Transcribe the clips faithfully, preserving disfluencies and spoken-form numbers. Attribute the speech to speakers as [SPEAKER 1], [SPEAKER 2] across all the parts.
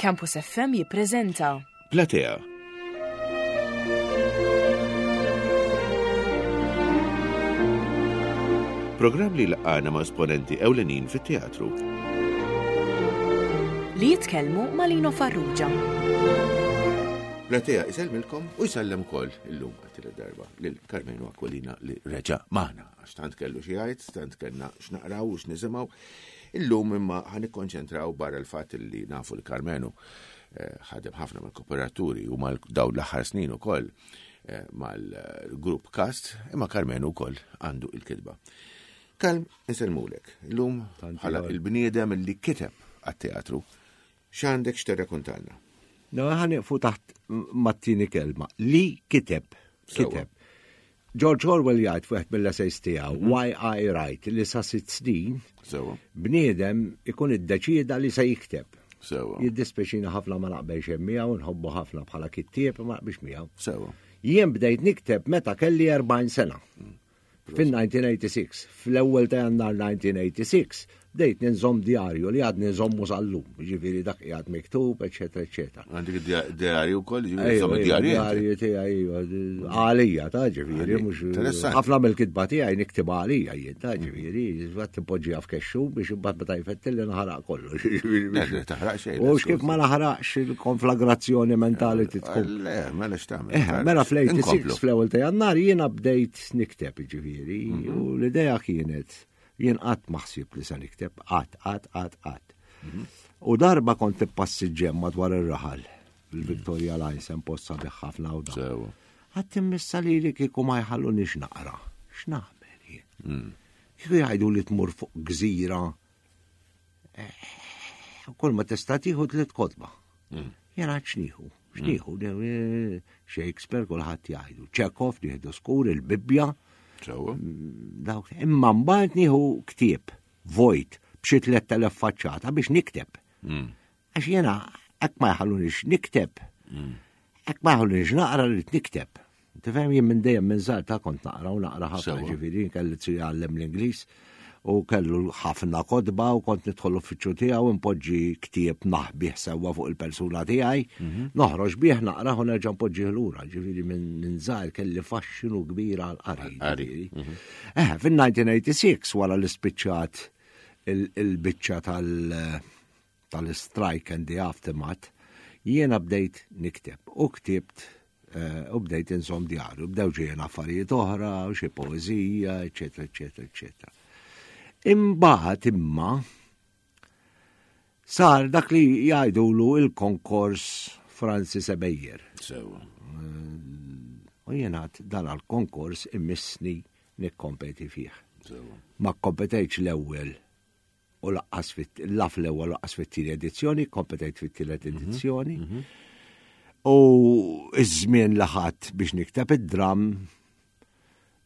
[SPEAKER 1] Campus F M jippreżenta
[SPEAKER 2] Platea. Programm li laqana ma' esponenti ewlenin fit-teatru.
[SPEAKER 1] Li jitkellmu ma' Lino Farrugia.
[SPEAKER 2] Platea isellmilkom u jsellem ukoll illum għat darba lil Karmenu Aquilina li reġa' magħna, għax tant kellu xi jgħid, tant kellna x'naqraw u x'nisimgħu. Illum imma ħa nikkonċentraw, barra l-fatt li nafu li Karmenu eh, ħadem ħafna mal-kooperaturi u mal dawn l-aħħar snin ukoll eh, mal-grupp Cast, imma Karmenu wkoll għandu il-kitba. Kalm, insellmulek. Illum bħala il-bniedem li kiteb għat-teatru, x'għandek x'tirrakuntalna?
[SPEAKER 3] No, ħa nieqfu taħt mat-tieni kelma. Li kiteb. Kiteb. George Orwell jgħid fuq mill-essays tiegħu mhm. Why I Write li sa sitt snin bniedem ikun iddeċieda li se jikteb.
[SPEAKER 2] Sewa.
[SPEAKER 3] Jiddispeċina ħafna ma naqbelx miegħu, nħobbu ħafna bħala kittieb, ma naqbilx miegħu.
[SPEAKER 2] Sewa.
[SPEAKER 3] Jien bdejt nikteb meta kelli erbgħin sena.
[SPEAKER 2] Mm.
[SPEAKER 3] Fin-elf disa' mija u tmienja u disgħin, fl-ewwel ta' Jannar elf disa' mija u tmienja u disgħin, bdejt ninżomm djarju li għadni nżommu sal-lum, ġifieri dak qiegħed miktub, eċetera, eċetera.
[SPEAKER 2] Għandek djarju wkoll, ġifieri nżomm djarju.
[SPEAKER 3] Djarju tiegħi għalija ta' ġifieri mhux ħafna mill-kitba tiegħi niktib għalija jien ta' ġifieri, għad timpoġġiha f'kexxu biex imbagħad meta jfettilli naħraq kollox.
[SPEAKER 2] Taħraq xejn.
[SPEAKER 3] U kif ma naħraqx il-konflagrazzjoni mentali titkun.
[SPEAKER 2] Le, mela x'tagħmel.
[SPEAKER 3] Eh, mela fl-tmienja u disgħin, fl-ewwel ta' Jannar, jiena bdejt nikteb, ġifieri, mhm. u l-idea kienet, jien qatt ma ħsibt li se nikteb, qatt, qatt, qatt, qatt. U darba kont passiġġem madwar ir-raħal, il-Victoria Lines, hemm post sabiħ ħafna u da. Għedt immissa li li kieku ma jħallunix naqra. X'nagħmel jien?
[SPEAKER 2] Mm.
[SPEAKER 3] Kieku jgħidu li tmur fuq gżira, eh, kull ma tista' tieħu tliet kotba.
[SPEAKER 2] Mm.
[SPEAKER 3] Jena x'nieħu, x'nieħu, mm. Shakespeare kulħadd jgħidu, Chekhov nieħdu skur, il-Bibbja. Dawk, imma mbagħad nieħu ktieb vojt b'xi tlett elef faċċata biex nikteb.
[SPEAKER 2] Mm.
[SPEAKER 3] Għax jiena hekk ma jħallunix nikteb.
[SPEAKER 2] Mm.
[SPEAKER 3] Hekk ma jħallunix naqra li nikteb. Tifhem, jien minn dejjem minn żgħar ta' kont naqra u naqra ħafna, ġifieri kelli jgħallem l-Ingliż u kellu ħafna kotba u kont nidħol l-uffiċċju tiegħu, npoġġi ktieb naħbih sewwa fuq il-persuna tiegħi,
[SPEAKER 2] mhm.
[SPEAKER 3] noħroġ bih, naqra u nerġa' npoġġih lura, ġifieri minn żgħir kelli faxxinu kbir għal qari.
[SPEAKER 2] Mhm.
[SPEAKER 3] Eh, fin-elf disa' mija u tmienja u disgħin, wara li spiċċat il-biċċa tal- tal-strike and the aftermath, jiena bdejt nikteb u ktibt eh, u bdejt inżomm djarju, bdew ġejjin affarijiet oħra, u xi poeżija, eċetera, eċetera, eċetera. Imbagħad imma sar dak li jgħidulu il-konkors Francis Ebejer.
[SPEAKER 2] Sewa.
[SPEAKER 3] U jiena dan għal-konkors immissni nikkompeti fih.
[SPEAKER 2] Sewa.
[SPEAKER 3] Ma kompetejtx l-ewwel u lanqas la fl-ewwel lanqas fit-tieni edizzjoni, kompetejt fit-tielet
[SPEAKER 2] mhm.
[SPEAKER 3] edizzjoni.
[SPEAKER 2] Mhm.
[SPEAKER 3] U iż-żmien li ħadt biex nikteb id-dram,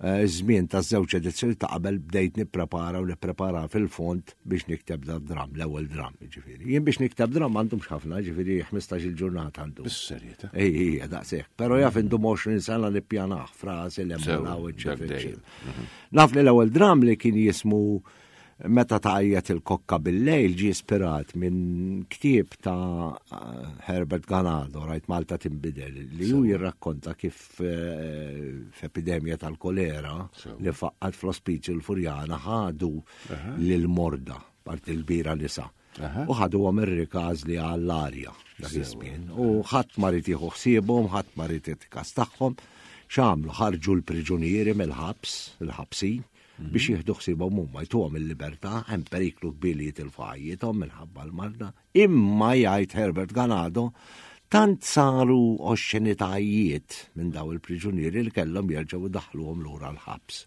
[SPEAKER 3] eh, żmien ta' żewġ edizzjoni ta' qabel bdejt nipprepara u nipprepara fil-fond biex nikteb da dram, l-ewwel dram, ġifieri. Jien biex nikteb dram m'għandhomx ħafna, ġifieri ħmistax-il ġurnata għandu.
[SPEAKER 2] Bis-serjetà.
[SPEAKER 3] Ej, ej, daqshekk. Però jaf indum għoxrin sena nippjanah frasi l-emmuna, eċetera, eċetera. Naf li l-ewwel dram li kien jismu Meta tgħajjat il-kokka bil-lejl ġie ispirat minn ktieb ta' Herbert Ganado, Rajt Malta Tinbidel, li ju jirrakkonta kif eh, f'epidemja tal-kolera li faqqat fl-ospizju l-Furjana ħadu lil-morda, parti l-kbira nisa. U ħadu għom ir-rikaż li għall-arja dak iż-żmien. U ħadd ma ried jieħu ħsiebhom, ħadd ma ried jitkas tagħhom. X'għamlu? Ħarġu l-priġunieri mill-ħabs, il-ħabsin, biex jieħdu ħsiebhom huma, jtuhom il-libertà, hemm periklu kbir li jitilfu ħajjithom minħabba l-marda. Imma jgħid Herbert Ganado, tant saru oxxenitajiet minn daw il-priġunieri li kellhom jerġgħu daħluhom lura l-ħabs.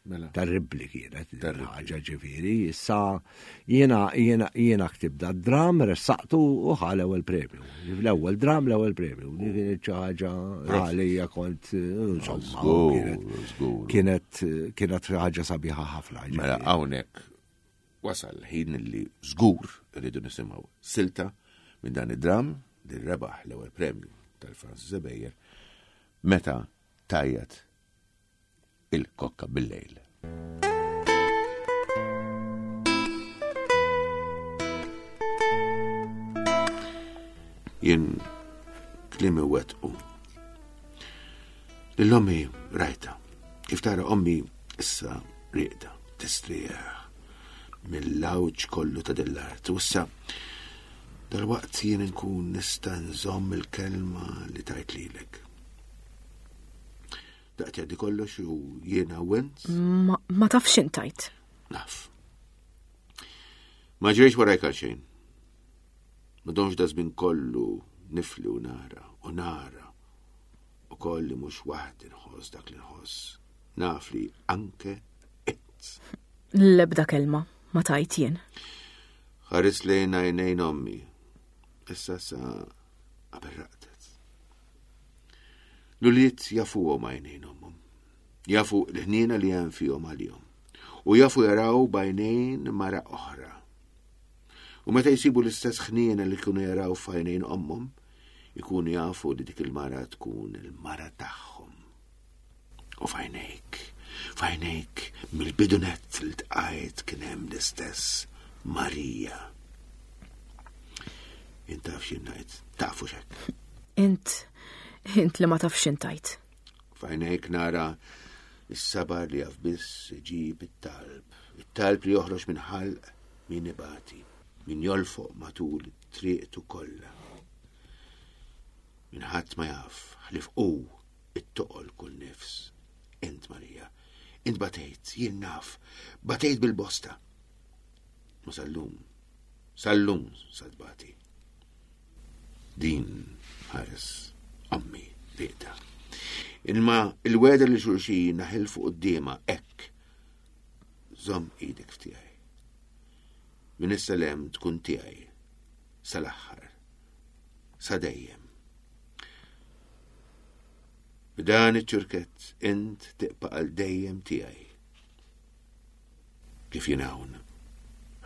[SPEAKER 2] Mela.
[SPEAKER 3] Terribli kienet ħaġa, ġifieri. Issa jiena jiena jiena ktibt da dram, ressaqtu u ħa l-ewwel premju. L-ewwel dram, l-ewwel premju. Di kienet xi ħaġa għalija kont, insomma,
[SPEAKER 2] Żgur,
[SPEAKER 3] kienet kienet ħaġa sabiħa ħafna.
[SPEAKER 2] Mela hawnhekk wasal ħin li żgur irridu nisimgħu silta minn dan id-dram li rebaħ l-ewwel premju tal-Francis Ebejer, Meta tgħajjat il-kokka bil-lejl. Jien klimi wettqu. Lil ommi rajta. Kif tara ommi issa rieqda, tistrieħ mill-lawġ kollu ta' dell-art. U issa dal-waqt jien nkun nista' nżomm il-kelma li tajt lilek. Daqt jgħaddi kollox u jiena u int
[SPEAKER 1] Ma, ma tafx intajt.
[SPEAKER 2] naf. Ma ġrejx warajk għal xejn. Ma domx da żmien kollu nifli u nara u nara u kolli mhux waħdi nħoss dak li nħoss. Naf li anke int.
[SPEAKER 1] L-ebda kelma ma tajt jien.
[SPEAKER 2] Ħares lejn għajnejn ommi. Issa sa qabel raqdet. L-ulied jafuhom għajnejn ommhom. Jafu l-ħniena li hemm fihom għalihom. U jafu jaraw b'għajnejn mara oħra. U meta jsibu l-istess ħniena li kienu jaraw f'għajnejn ommhom, ikunu jafu li dik il-mara tkun il-mara tagħhom. U f'għajnejk, f'għajnejk mill-bidunet li tqajt kien hemm l-istess Marija. Int taf x'jien ngħid, tafu xek.
[SPEAKER 1] Int, int li ma tafx intajt.
[SPEAKER 2] F'għajnejk nara is-sabar li jaf biss iġib it-talb. It-talb li joħroġ minn ħalq min ibati, min jolfoq matul triqtu kollha. Min ħadd ma jaf, ħlief hu it-toqol kull nifs. Int Marija, int batejt, jien naf, batejt bil-bosta. Ma sal-lum, sal-lum sadbati. Din ħares ommi rieqda. Imma il-wegħda li xulxin naħilfu quddiemha hekk. Żomm idek f'tiegħi. Minn issa 'l hemm tkun tiegħi sal-aħħar, sa dejjem. B'dan iċ-ċurkett int tibqa' għal dejjem tiegħi. Kif jien hawn,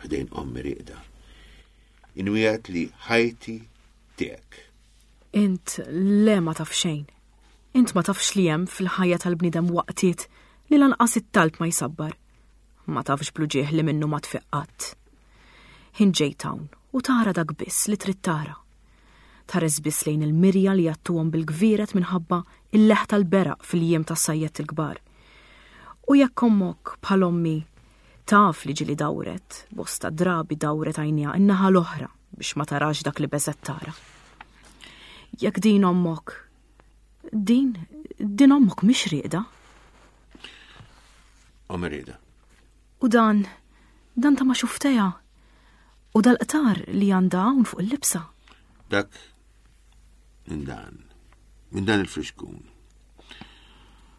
[SPEAKER 2] ħdejn ommi rieqda. Inwiegħed li ħajti tiegħek.
[SPEAKER 1] Int le ma taf xejn. Int ma tafx li hemm fil-ħajja tal-bniedem waqtiet li lanqas it-talb ma jsabbar. Ma tafx bl-uġigħ li minnu ma tfiq qatt. Int ġejt hawn u tara dak biss li trid tara. Tħares biss lejn il-mirja li jgħattuhom bil-gvieret minħabba il-leħ tal-beraq fil-jiem tas-sajjet il-kbar. U jekk ommok bħal ommi taf li ġieli dawret, bosta drabi dawret għajnejha in-naħa l-oħra biex ma tarax dak li beżgħet tara. Jekk din ommok, din, din ommok mhix rieqda.
[SPEAKER 2] Ommi rieqda.
[SPEAKER 1] U dan, dan ta' ma xufteja. U dal-qtar li għandha hawn fuq il-libsa.
[SPEAKER 2] Dak minn dan, minn dan il-friskun.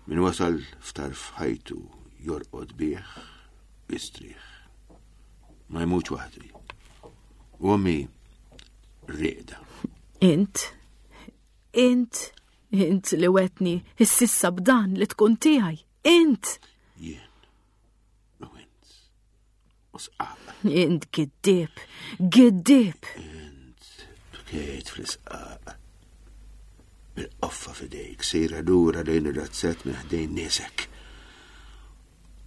[SPEAKER 2] Min wasal f'tarf ħajtu jorqod bih, jistrieħ. Ma jmutx waħdu. U ommi rieqda.
[SPEAKER 1] Int, int, int li wegħedtni s'issa b'dan li tkun tiegħi. Int,
[SPEAKER 2] Jien. U int. U sqaq.
[SPEAKER 1] int giddieb, giddieb.
[SPEAKER 2] Int bkejt fl-isqaq. Bil-qoffa f'idejk, sejra lura lejn ir-razzett minn ħdejn niesek.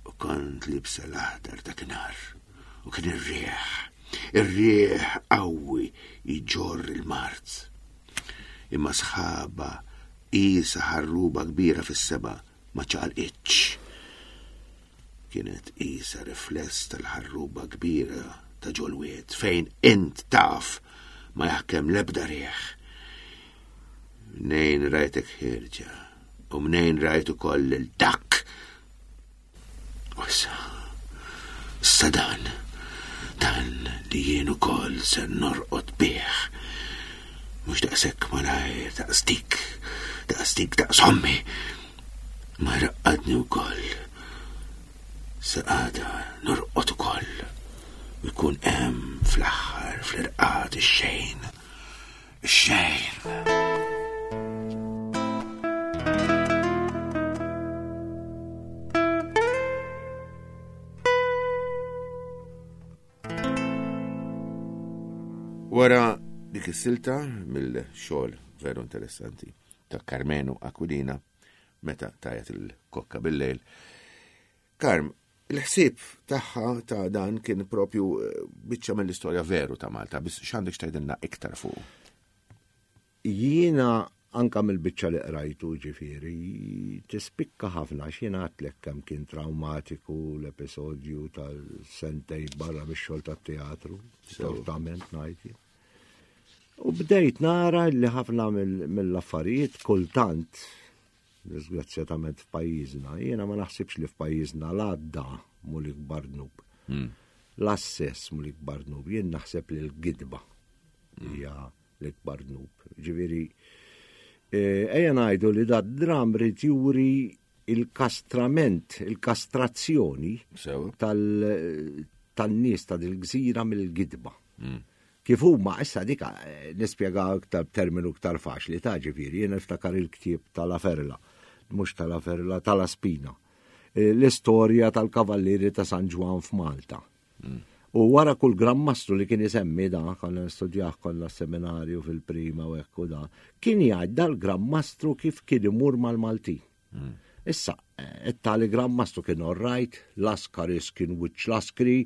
[SPEAKER 2] U kont liebsa l-aħdar dakinhar. U kien ir-rieħ, ir-rieħ qawwi jġorr il-mard. Imma sħaba qisha ħarruba kbira fis-sema ma ċaqalqitx. Kienet qisha rifless tal-ħarruba kbira ta' ġol-wied fejn int taf ma jaħkem lebda rieħ. Mnejn rajtek ħierġa u mnejn rajt ukoll il-dak. U issa, issa dan, dan li jien ukoll se norqod bih. Mhux daqshekk malajr, daqs dik, daqs dik, daqs ommi. Ma raqqadni wkoll. Sa għada norqod ukoll. U jkun hemm fl-aħħar fl-irqad ix-xejn. Ix-xejn. Wara dik is-silta mill-xogħol veru interessanti ta' Karmenu Aquilina meta tgħajjat il-kokka bil-lejl. Karm, il-ħsieb tagħha ta' dan kien propju eh, biċċa mill-istorja veru ta' Malta, biss x'għandek x'tgħidilna iktar fuq.
[SPEAKER 3] Jiena anka mill-biċċa li qrajtu ġifieri tispikka ħafna x'jiena għedtlek kemm kien traumatiku l-episodju tal-sentejn barra mix-xogħol tat-teatru, tortament ngħid jien. U bdejt nara li ħafna mill-affarijiet kultant, disgrazzjatament f'pajjiżna, jiena ma naħsibx li f'pajjiżna l-għadda mhu l-ikbar dnub. L-assess mhu l-ikbar dnub, jien naħseb li l-gidba hija l-ikbar dnub. Ġifieri, ejja ngħidu li da dram rid juri il-kastrament, il-kastrazzjoni tan-nies ta' dil-gżira mill-gidba. Kif huma issa dik nispjega iktar b'terminu iktar faċli ta' ġifieri, jien niftakar il-ktieb tal-La Ferla, mhux tal-La Ferla, tal-La Spina. L-istorja tal-Kavallieri ta' San Ġwann f'Malta. U wara kull Gran Mastru li kien isemmi da, konna nistudjah kollha seminarju fil-prima u hekk u da, kien jgħid dal-Gran Mastru kif kien imur mal-Maltin. Issa, it-tali Gran Mastru kien all right, Laskaris kien wiċċ Laskri.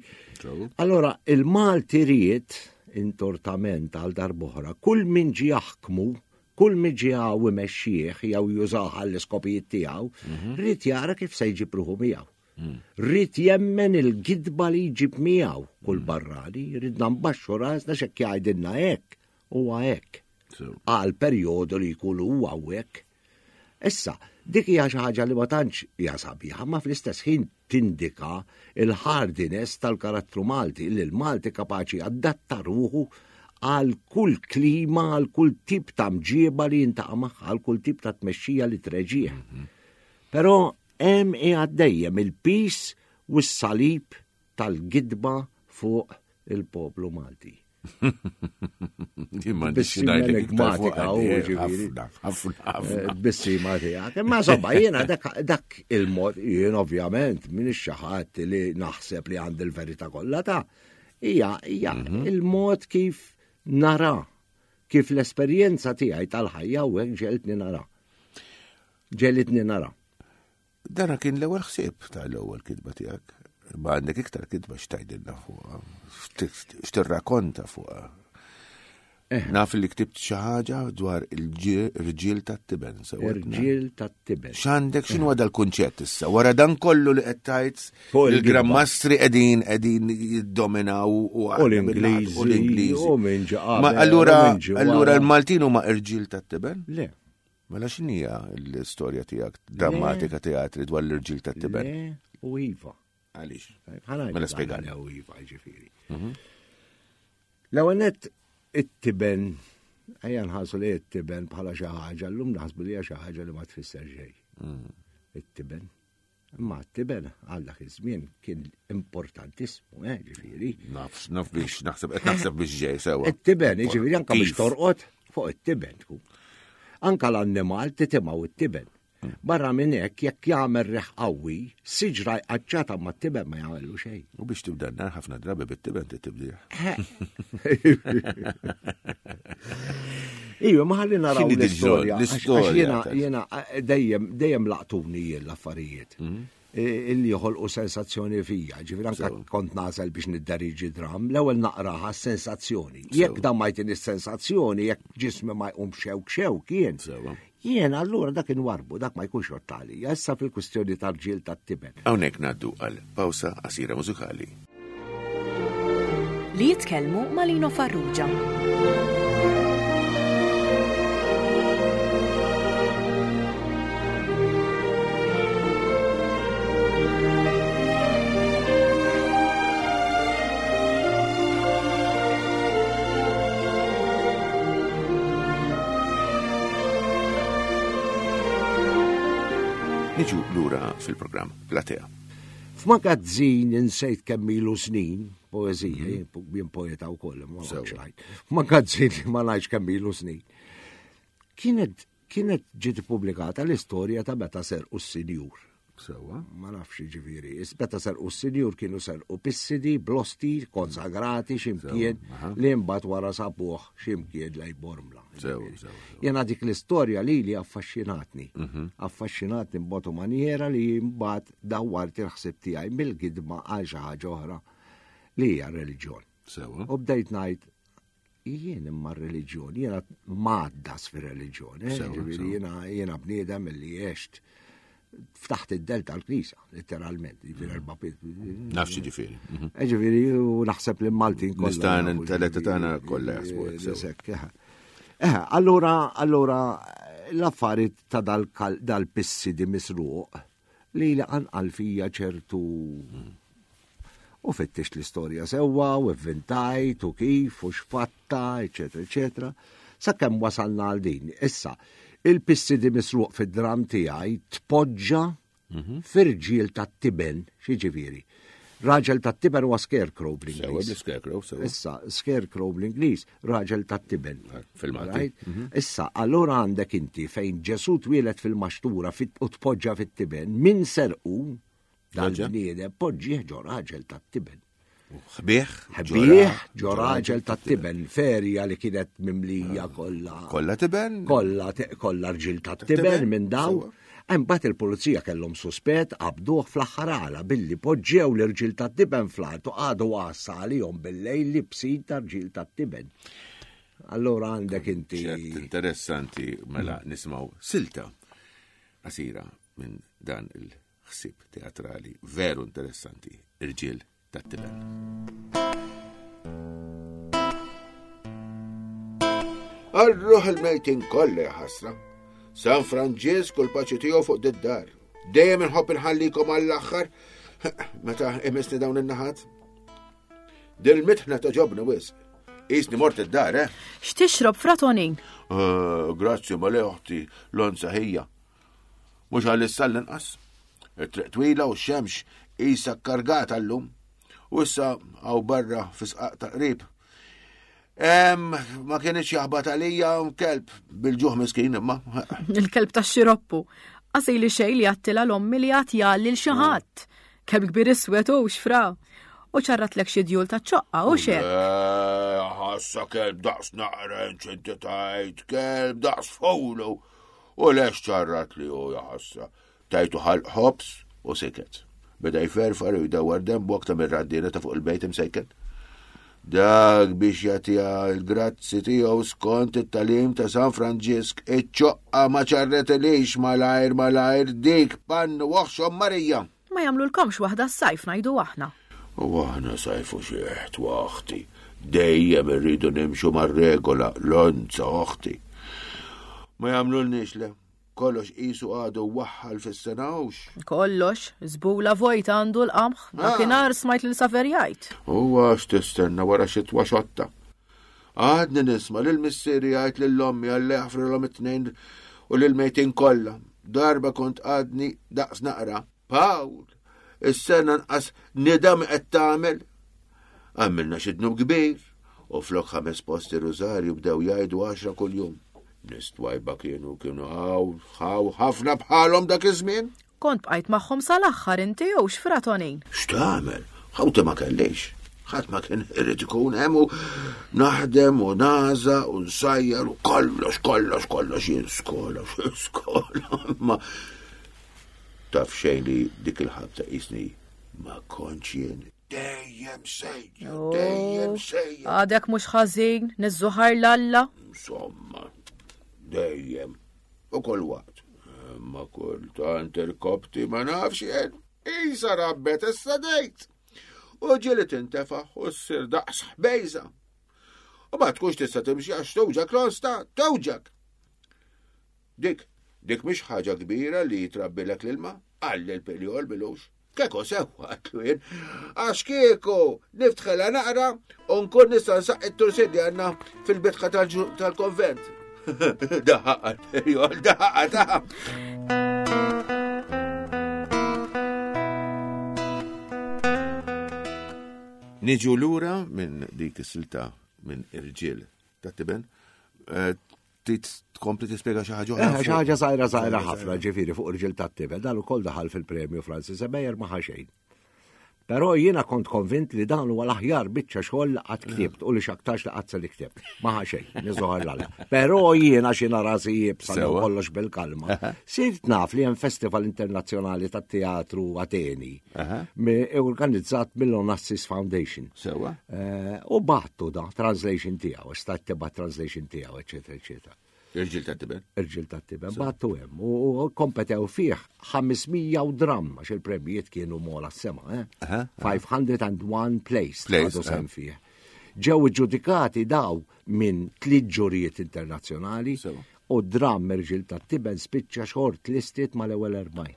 [SPEAKER 3] Allora, il-Malti ried intortament għal darb'oħra, kull min ġie jaħkmu, kull min ġie hawn imexxih jew jużah għall-iskopijiet tiegħu, ried jara kif se jġib ruħu miegħu. Ried jemmen il-gidba li jġib miegħu kull barrani, ridna nbaxxu rasna x'hekk jgħidilna hekk, huwa hekk. Għal perjodu li jkun huwa hawnhekk. Issa, dik hija xi ħaġa li ma tantx hija sabiħa, ma fl-istess ħin tindika il-hardiness tal-karattru Malti, li l-Malti kapaċi adatta ruħu għal kull klima, għal kull tip ta' mġieba li jintaqa' magħha, għal kull tip ta' tmexxija li treġih. Però hemm qiegħed dejjem il-pis u s-salib tal-gidba fuq il-poplu Malti.
[SPEAKER 2] Bissima
[SPEAKER 3] enigmatika u ġifieri. Bissima tiegħek. Imma insomma jiena dak il-mod, jien ovvjament m'iniex xi ħadd li naħseb li għandi l-verità kollha ta' hija hija il-mod kif nara, kif l-esperjenza tiegħi tal-ħajja u hekk ġeltni nara. Ġelitni nara.
[SPEAKER 2] Dana kien l-ewwel ħsieb tal-ewwel kitba tiegħek. Ma għandek iktar kitba x'tgħidilna fuqha, x'tirrakkonta fuqha. Naf li ktibt xi ħaġa dwar il-irġiel tat-tiben.
[SPEAKER 3] Irġiel tat-tiben.
[SPEAKER 2] X'għandek, x'inhu dal-kunċett issa? Wara dan kollu li qed tgħid il-Gran Mastri qegħdin qegħdin jiddominaw u
[SPEAKER 3] l-Ingliżi
[SPEAKER 2] u l-Ingliżi.
[SPEAKER 3] U minn ġi qabel,
[SPEAKER 2] Ma allura
[SPEAKER 3] u minn ġi wara.
[SPEAKER 2] allura l-Maltin huma irġiel tat-tiben?
[SPEAKER 3] Le.
[SPEAKER 2] Mela x'inhija l-istorja tiegħek drammatika teatri dwar l-irġiel tat-tiben?
[SPEAKER 3] Le, u iva.
[SPEAKER 2] Għaliex?
[SPEAKER 3] Ħana
[SPEAKER 2] Mela spjegali.
[SPEAKER 3] Le u iva, ġifieri. L-ewwel nett it-tiben, ejja nħarsu li it-tiben bħala xi ħaġa, llum naħsbu li hija xi ħaġa li ma tfisser xejn. It-tiben. Imma t-tiben għal dak iż-żmien kien importantissimu, eh, ġifieri.
[SPEAKER 2] Naf, naf biex naħseb, qed naħseb biex ġej sewwa.
[SPEAKER 3] It-tiben, ġifieri anke biex
[SPEAKER 2] Kif?
[SPEAKER 3] torqod fuq it-tiben tkun. Anka l-annimal titimgħu it-tiben. Barra minn hekk jekk jagħmel riħ qawwi, siġra jqaċċata ma t-tiben ma jagħmlu xejn.
[SPEAKER 2] U biex tibda n-nar ħafna drabi bit-tiben tibdih.
[SPEAKER 3] Iva, ma ħalli naraw
[SPEAKER 2] X'inhi
[SPEAKER 3] l-istorja.
[SPEAKER 2] diġà l-istorja
[SPEAKER 3] Għax jiena,
[SPEAKER 2] ta'
[SPEAKER 3] jiena, dejjem, dejjem laqtuni jien l-affarijiet. Illi joħolqu sensazzjoni fija. Ġifieri anke
[SPEAKER 2] Sew.
[SPEAKER 3] kont nasel biex nidderiġi dram, l-ewwel naqraha s-sensazzjoni. Jekk dan ma jtini s-sensazzjoni, jekk ġismi ma jqum xewk xewk jien.
[SPEAKER 2] Sewa.
[SPEAKER 3] Jien allura dak inwarbu, dak ma jkunx ottali. Issa fil-kwistjoni tal-ġiel tat-tiben.
[SPEAKER 2] Hawnhekk ngħaddu għal pawsa qasira mużikali.
[SPEAKER 1] Li jitkellmu ma' Lino Farrugia.
[SPEAKER 2] Niġu lura fil-programm Platea.
[SPEAKER 3] F'magazzin insejt kemm ilu snin, poeżija, jien po-, jien poeta wkoll, ma
[SPEAKER 2] Sewa.
[SPEAKER 3] nafx ngħid. F'magazzin li ma ngħidx kemm ilu snin. Kienet, kienet ġiet ippubblikata l-istorja ta' meta serqu s-sinjur.
[SPEAKER 2] Sewa.
[SPEAKER 3] Ma nafx ġifieri, is meta serqu s-sinjur kienu serqu pissidi, blosti, konsagrati, x'imkien,
[SPEAKER 2] Sewa, aha.
[SPEAKER 3] li mbagħad wara sabuh x'imkien lej Bormla.
[SPEAKER 2] Sewa,
[SPEAKER 3] Ġifieri.
[SPEAKER 2] sewa, sewa.
[SPEAKER 3] Jena dik l-istorja li li affaxxinatni.
[SPEAKER 2] Mhm.
[SPEAKER 3] Affaxxinatni b'mod u maniera li mbagħad dawwart il-ħsieb tiegħi mill-gidma għal xi ħaġa oħra li hija reliġjon.
[SPEAKER 2] Sewa.
[SPEAKER 3] U bdejt ngħid Jien imma r-reliġjon, jiena maddas fir-reliġjon, eh, ġifieri jiena jiena bniedem li għext ftaħt id-del tal-Knisja, letteralment, ġifieri erba'
[SPEAKER 2] Naf xi ġifieri. Mhm.
[SPEAKER 3] Eh, ġifieri u naħseb li Maltin kollha.
[SPEAKER 2] Nista' inteletta tagħna kollha jaħsbu
[SPEAKER 3] hekk. Eh, allura, allura l-affarijiet ta' dal-pissidi misruq li li qanqal fija ċertu u fittixt l-istorja sewwa u avventajt u kif u x'fatta, eċetera, eċetera. Sakemm wasalna għal din. Issa, il-pissidi misruq fid-dram tiegħi tpoġġa mhm. f'irġiel tat-tiben, xi Raġel tat-tiben huwa scarecrow
[SPEAKER 2] bl-Ingliż. Scarecrow,
[SPEAKER 3] sewa. Issa, scarecrow bl-Ingliż, raġel tat-tiben.
[SPEAKER 2] Ah, fil-Malti.
[SPEAKER 3] Mhm. Issa, allura għandek inti fejn Ġesu twieled fil-maxtura u tpoġġa fit-tiben, min serqu dal-bniedem poġġih ġo raġel tat-tiben.
[SPEAKER 2] Ħbieħ?
[SPEAKER 3] Ħbieħ ġo raġel tat-tiben, ferja li kienet mimlija ah. kollha.
[SPEAKER 2] Kollha tiben?
[SPEAKER 3] Kollha kollha rġiel tat-tiben minn daw. Imbagħad il-pulizija kellhom suspett qabduh fl-aħħar għala billi poġġew l-irġiel tat-tiben fl-art u qagħdu għassa għalihom bil-lejl libsin ta' rġiel tat-tiben. Allura għandek inti.
[SPEAKER 2] Interessanti mela nisimgħu silta qasira minn dan il-ħsieb teatrali veru interessanti, irġiel tat-tiben. Arruħ il-mejtin kollha ħasra. San Franġisk u l-paċi tiegħu fuq did-dar. Dejjem inħobb inħallikom għall-aħħar meta imisni dawn in-naħat. Dil-mitħna ta' ġobni wisq. Isni mort id-dar, eh?
[SPEAKER 1] X'tixrob fratonin?
[SPEAKER 2] Eh, grazzi ma le oħti l-onza ħija. Mhux għall-issa l-inqas. It-triq twila u x-xemx isa kargata llum. U issa għaw barra fisqaq ta' qrib. Ma kienx jaħbat għalija kelb bil-ġuħ miskin imma.
[SPEAKER 1] Il-kelb ta' xiroppu. Qasi li xej li għattila l-ommi li għat jgħalli l-xaħat. Kelb kbir iswed u xfra. U ċarratlek xi djul ta' ċoqqa u xek.
[SPEAKER 2] Ħassa kelb daqs naqrenċ inti tajt, kelb daqs fowlu. U lex ċarrat li u jaħassa. Tajtu ħalq ħobs u siket. Beda jferfar u jdawar dembu aktar mir-raddina ta' fuq il-bejt imsejken. Dak biex jagħtiha l-grazzi tiegħu skont it-talim ta' San Franġisk, iċ-ċoqqa ma ċarretilix malajr malajr dik pannu oħxom Marija.
[SPEAKER 1] Ma jagħmlulkomx waħda s-sajf ngħidu aħna.
[SPEAKER 2] U aħna sajfu xieħt waħti. Dejjem irridu nimxu mar-regola l-onza oħti. Ma jagħmlulniex le. Kollox qisu għadu waħħal fis-sena hux.
[SPEAKER 1] Kollox, żbula vojta għandu l-qamħ, dakinhar smajt lil Saver jgħid.
[SPEAKER 2] Huwa x'tistenna wara xitwa xotta. Għadni nisma' lil missieri jgħid lil ommi għal jaħfrilhom it-tnejn u lil mejtin kollha. Darba kont għadni daqs naqra. Pawl, is-sena nqas nidam qed tagħmel. Għamilna xi dnub kbir u flok ħames posti rużarju bdew jgħidu għaxra kuljum. Nies twajba kienu kienu ħaw ħaw ħafna bħalhom dak iż-żmien.
[SPEAKER 1] Kont bqajt magħhom sal-aħħar inti jew x'fratonin.
[SPEAKER 2] X'tagħmel? Ħawti ma kellix. Ħadd ma kien irid ikun hemm u naħdem u naża u nsajjar u kollox kollox kollox jien skola skola ma taf xejn li dik il-ħabta qisni ma kontx jien. Dejjem sejjer, dejjem sejjer.
[SPEAKER 1] Għadek mhux ħażin, niżżuħar l-Alla.
[SPEAKER 2] Insomma, dejjem u kull waqt. Ma kultant irkopti ma nafx jien. Isa rabbet issa dejt. U ġieli tintefaħ u ssir daqs ħbejża. U ma tkunx tista' timxi għax tewġak l-osta, tewġak. Dik, dik mhix ħaġa kbira li jitrabbilek l-ilma, qalli l-pirjol bilux. Keko sewwa għatlu jien, għax kieku niftħela naqra u nkun nista' nsaqq it-tursin li għandna fil-bitħa tal-konvent. Daħqa l-pirjol, daħqa ta' Niġu lura minn dik is-silta minn irġiel ta' tiben. Trid tkompli tispjega xi ħaġa oħra?
[SPEAKER 3] Xi ħaġa żgħira żgħira ħafna, ġifieri fuq irġiel tat-tiben, dan ukoll daħal fil-premju Francis Emeyer ma ħa xejn. Però jiena kont konvint li dan huwa l-aħjar biċċa xogħol li qatt ktibt u li x'aktarx li qatt se li ktibt. Ma ħa xejn, niżoħar l-Alla. Però jiena xi rasi iebsa kollox bil-kalma. Sirt naf li hemm Festival Internazzjonali tat-Teatru Ateni, organizzat mill-Onassis Foundation.
[SPEAKER 2] Sewa.
[SPEAKER 3] Eh, u battu da, translation tiegħu, stat tibgħat translation tiegħu, eċetera, eċetera.
[SPEAKER 2] Irġiel tat-tiben.
[SPEAKER 3] Irġiel tat-tiben, battu hemm. U kompetew fih ħames mija u dram, għax il-premijiet kienu mola s-sema, eh? five hundred and one place
[SPEAKER 2] Place,
[SPEAKER 3] ħadu sehem fih. Ġew ġudikati daw minn tliet ġurijiet internazzjonali
[SPEAKER 2] Sewa.
[SPEAKER 3] u dram Irġiel tat-Tiben spiċċa short listed mal-ewwel erbgħin.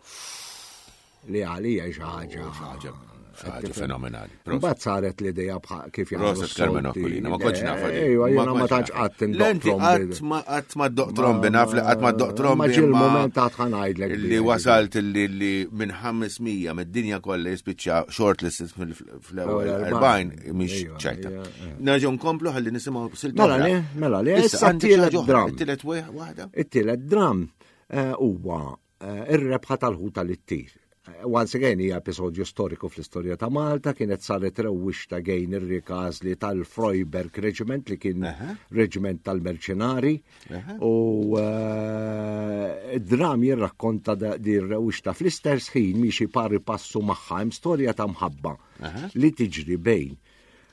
[SPEAKER 3] Li għalija xi ħaġa.
[SPEAKER 2] Ħaġa ħaġa fenomenali.
[SPEAKER 3] Mbagħad saret l-idea bħal kif jagħmlu
[SPEAKER 2] Proset Carmen
[SPEAKER 3] s-solti.
[SPEAKER 2] Aquilina, ma kontx nafha di.
[SPEAKER 3] Ejwa, jiena ma
[SPEAKER 2] kontx
[SPEAKER 3] tantx
[SPEAKER 2] nafha.
[SPEAKER 3] qatt
[SPEAKER 2] Le, inti qatt ma qatt ma ddoq trombi, naf li qatt ma ddoq trombi.
[SPEAKER 3] Ma ġie
[SPEAKER 2] imma
[SPEAKER 3] l-moment għad ħa ngħidlek.
[SPEAKER 2] Li wasalt li li minn ħames mija mid-dinja kollha jispiċċa shortlisted fl-ewwel erbgħin mhix
[SPEAKER 3] Ejwa,
[SPEAKER 2] ċajta.
[SPEAKER 3] ejwa, ejwa.
[SPEAKER 2] Nerġgħu nkomplu ħalli nisimgħu silta.
[SPEAKER 3] Mela le, mela le, issa
[SPEAKER 2] għandek xi
[SPEAKER 3] t-tielet
[SPEAKER 2] ħaġa oħra,
[SPEAKER 3] dram.
[SPEAKER 2] It-tielet waħda?
[SPEAKER 3] It-tielet dram eh, huwa eh, ir-rebħa tal-ħuta li ttir. Eh, Once again hija episodju storiku fl-istorja ta' Malta, kienet saret rewwixta gejn ir-rikazli tal-Freyberg Regiment li kien reġiment tal-merċenari u eh, id-dram jirrakkonta da- di rewwixta fl-istess ħin miexi pari passu magħha hemm storja ta' mħabba li tiġri bejn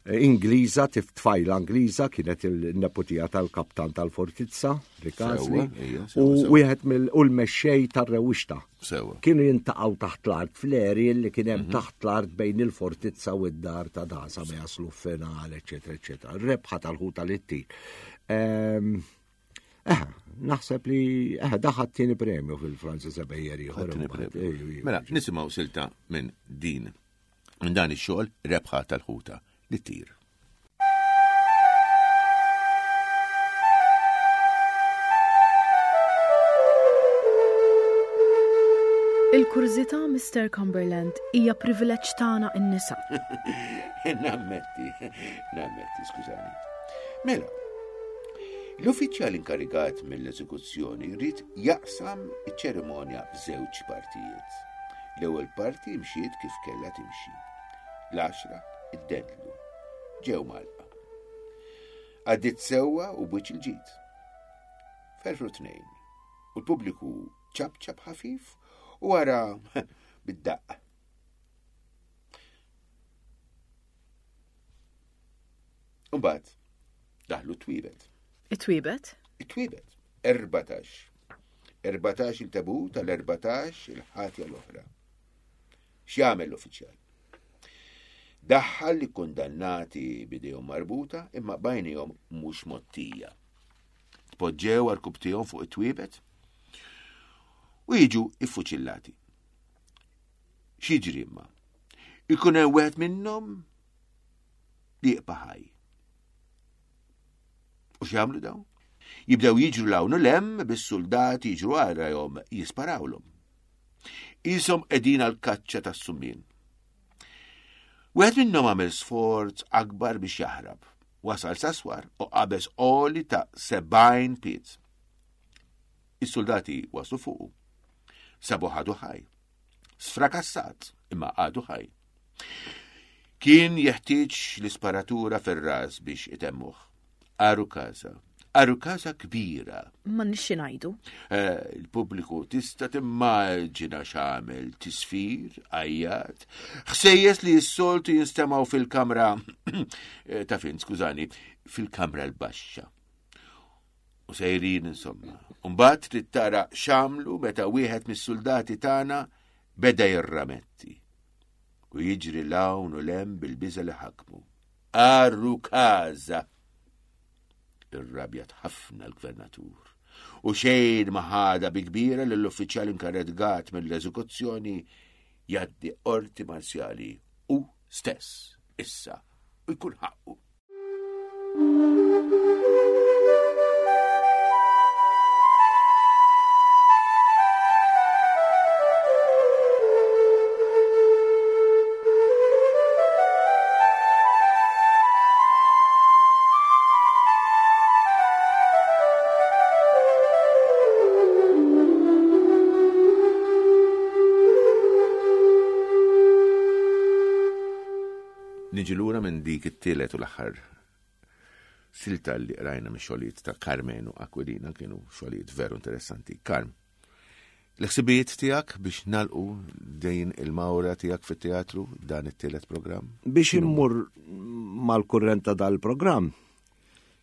[SPEAKER 3] Ingliża, tif tfajla Ingliża, kienet il-neputija tal-kaptan tal-Fortizza, Ricasoli,
[SPEAKER 2] Sewwa, ija, sewwa,
[SPEAKER 3] u
[SPEAKER 2] sewwa.
[SPEAKER 3] wieħed mill u l-mexxej tar-rewwixta.
[SPEAKER 2] Sewwa.
[SPEAKER 3] Kienu jintaqgħu taħt l-art fl-eri li kien hemm taħt l-art bejn il-fortizza u d-dar ta' dasa ma jaslu final, eċetera, eċetera. Rebħa tal-ħuta li ttir. Ehm, Eh, naħseb li eh, daħat tieni premju fil-Francis Ebejer ieħor.
[SPEAKER 2] Ħadd tieni
[SPEAKER 3] imbagħad.
[SPEAKER 2] premju.
[SPEAKER 3] Ejju, ejju.
[SPEAKER 2] Mela, nisimgħu silta minn din minn dan ix-xogħol, Rebħa tal-Ħuta li ttir.
[SPEAKER 1] Il-kurżità, Mister Cumberland, hija privileġġ tagħna in-nisa.
[SPEAKER 2] Nammetti, nammetti, skużani. Mela, l-uffiċjal inkarigat mill-eżekuzzjoni rrid jaqsam iċ-ċerimonja f'żewġ partijiet. L-ewwel parti mxiet kif kellha timxi. L-għaxra iddendlu. Ġew mgħallqa. Għaddiet sewwa u b'wiċċ il-ġid. Ferfru tnejn. U l-pubbliku ċapċap ħafif u wara bid-daqqa. Umbagħad, daħlu t-twiebet.
[SPEAKER 1] It-twiebet?
[SPEAKER 2] It-twiebet. Erbatax. Erbatax il-tabu tal-erbatax il-ħatja l-oħra. X'jagħmel l-uffiċjal? Daħħal li kundannati bidejhom marbuta imma b'għajnejhom mhux mgħottija. Tpoġġew għarkupptejhom fuq it-twiebet u jiġu iffuċillati. X'jiġri imma? Ikun hemm wieħed minnhom li jibqa' ħaj. U x'jagħmlu dawn? Jibdew jiġru 'l hawn u 'l hemm bis-soldati jiġru warajhom jisparawlhom. Qishom qegħdin għal kaċċa tas-summien. Wieħed minnhom għamel sforz akbar biex jaħrab. Wasal sas-swar u qabeż għoli ta' sebgħin pied. Is-soldati waslu fuqu. Sabu għadu ħaj. Sfrakassat, imma għadu ħaj. Kien jeħtieġ l-isparatura fir-ras biex itemmuh. Għarukaża. Għarukaża kbira.
[SPEAKER 1] Ma nixxi ngħidu.
[SPEAKER 2] Eh, il-pubbliku tista' timmaġina x'għamel: tisfir, għajjat, ħsejjes li s-soltu jinstemgħu fil-kamra eh, ta' fin, skużani, fil-kamra l-baxxa. U sejrin insomma. Umbagħad trid tara x'għamlu meta wieħed mis-soldati tagħna beda jirrametti. U jiġri 'l hawn u 'l hemm bil-biża li ħakmu. Għarukaża! Irrabjat ħafna l-gvernatur. U xejn ma ħadha bi kbira l-uffiċjal inkarigat mill-eżekuzzjoni jgħaddi qorti marzjali u stess issa u jkun ħaqqu. Niġi lura minn dik it-tielet u l-aħħar silta li rajna mix xogħlijiet ta' Karmenu Aquilina, kienu xogħlijiet veru interessanti. Karm, l-ħsibijiet tiegħek biex nalqu dejn il-mawra tiegħek fit-teatru dan it-tielet programm?
[SPEAKER 3] Biex immur mal-kurrent ta' dal-programm,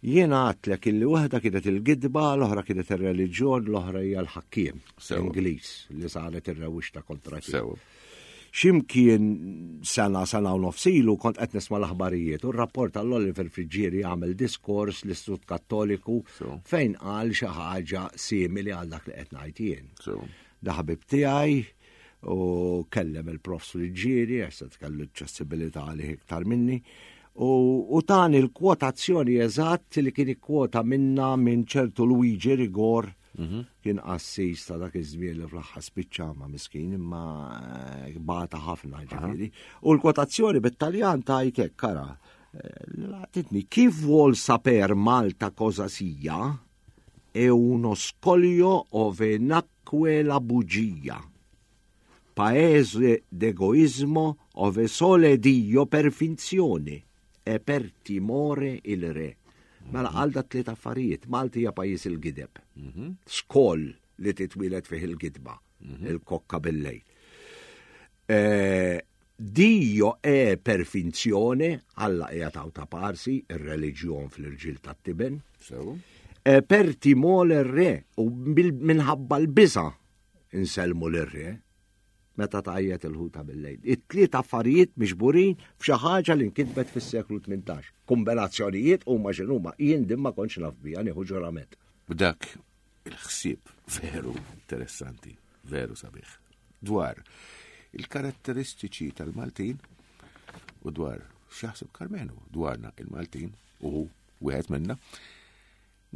[SPEAKER 3] jiena għedtlek illi waħda kienet il-gidba, l-oħra kienet ir-reliġjon, l-oħra hija l-ħakkiem Ingliż li saret ir-rewwixta kontra tiegħu. X'imkien sena, sena u nofs ilu kont qed nisma' l-aħbarijiet u r-rapport tal-Oliver Friggieri għamel diskors l-Istitut Kattoliku fejn qal xi ħaġa simili għal dak li qed ngħid jien. Da ħabib tiegħi u kellem il-Prof Friggieri, għax se tkellu ċ-ċessibilità għalih iktar minni, u tani l-kwotazzjoni eżatt li kien ikkwota minna minn ċertu Luigi Rigor, kien qassis ta' dak iż-żmien li fl-aħħar spiċċa ma' miskin imma bata ħafna ġifieri. U l-kwotazzjoni bit-Taljan tajt hekk, kara, laqtitni, chi vuol saper Malta cosa sia è uno scoglio ove nacque la bugia, paese d'egoismo ove sole Dio per finzione e per timore il re. Mela għal da tliet affarijiet, Malti hija pajjiż il-gideb. Skoll li titwieled fih il-gidba, il-kokka bil-lejl. Dio è per finzione, Alla hija taw ta' parsi, ir-reliġjon fl-irġiel tat-tiben. E per timore re, u minħabba l-biża' insellmu lir-re, meta tgħajjat il-ħuta bil-lejl. It-tliet affarijiet miġburin f'xi ħaġa li nkitbet fis-seklu tmintax. Kombinazzjonijiet huma x'inhuma, jien din ma kontx naf biha, nieħu ġurament.
[SPEAKER 2] B'dak il-ħsieb veru interessanti, veru sabiħ, dwar il-karatteristiċi tal-Maltin u dwar x'jaħseb Karmenu dwarna il-Maltin u wieħed minna,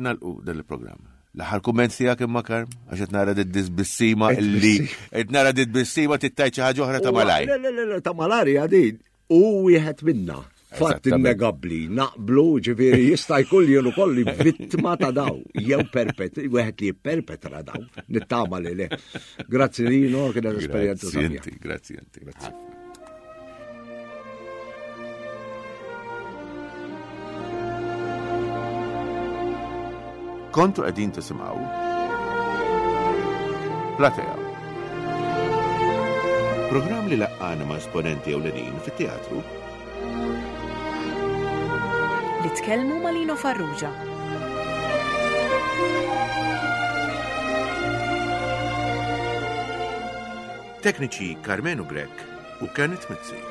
[SPEAKER 2] nalqu dan il-programm. L-aħħar kumment tiegħek imma Karm, għax qed nara dit disbissima illi qed nara dit bissima tittajt xi ħaġa oħra ta' malaj.
[SPEAKER 3] Le, le, le, le, ta' malaj għadin. U wieħed minna. Fatt innegabbli, naqblu, ġifieri jista' jkun jien ukoll vittma ta' daw, jew perpet, wieħed li jipperpetra daw, nittama li le. Grazzi Lino, kienet esperjenza sabiħa.
[SPEAKER 2] Grazzi inti, grazzi. Kontu qegħdin tisimgħu Platea. Programm li laqqana ma' esponenti ewlenin fit-teatru
[SPEAKER 1] li tkellmu ma' Lino Farrugia.
[SPEAKER 2] Tekniċi Karmenu Grech u Kenneth Mizzi.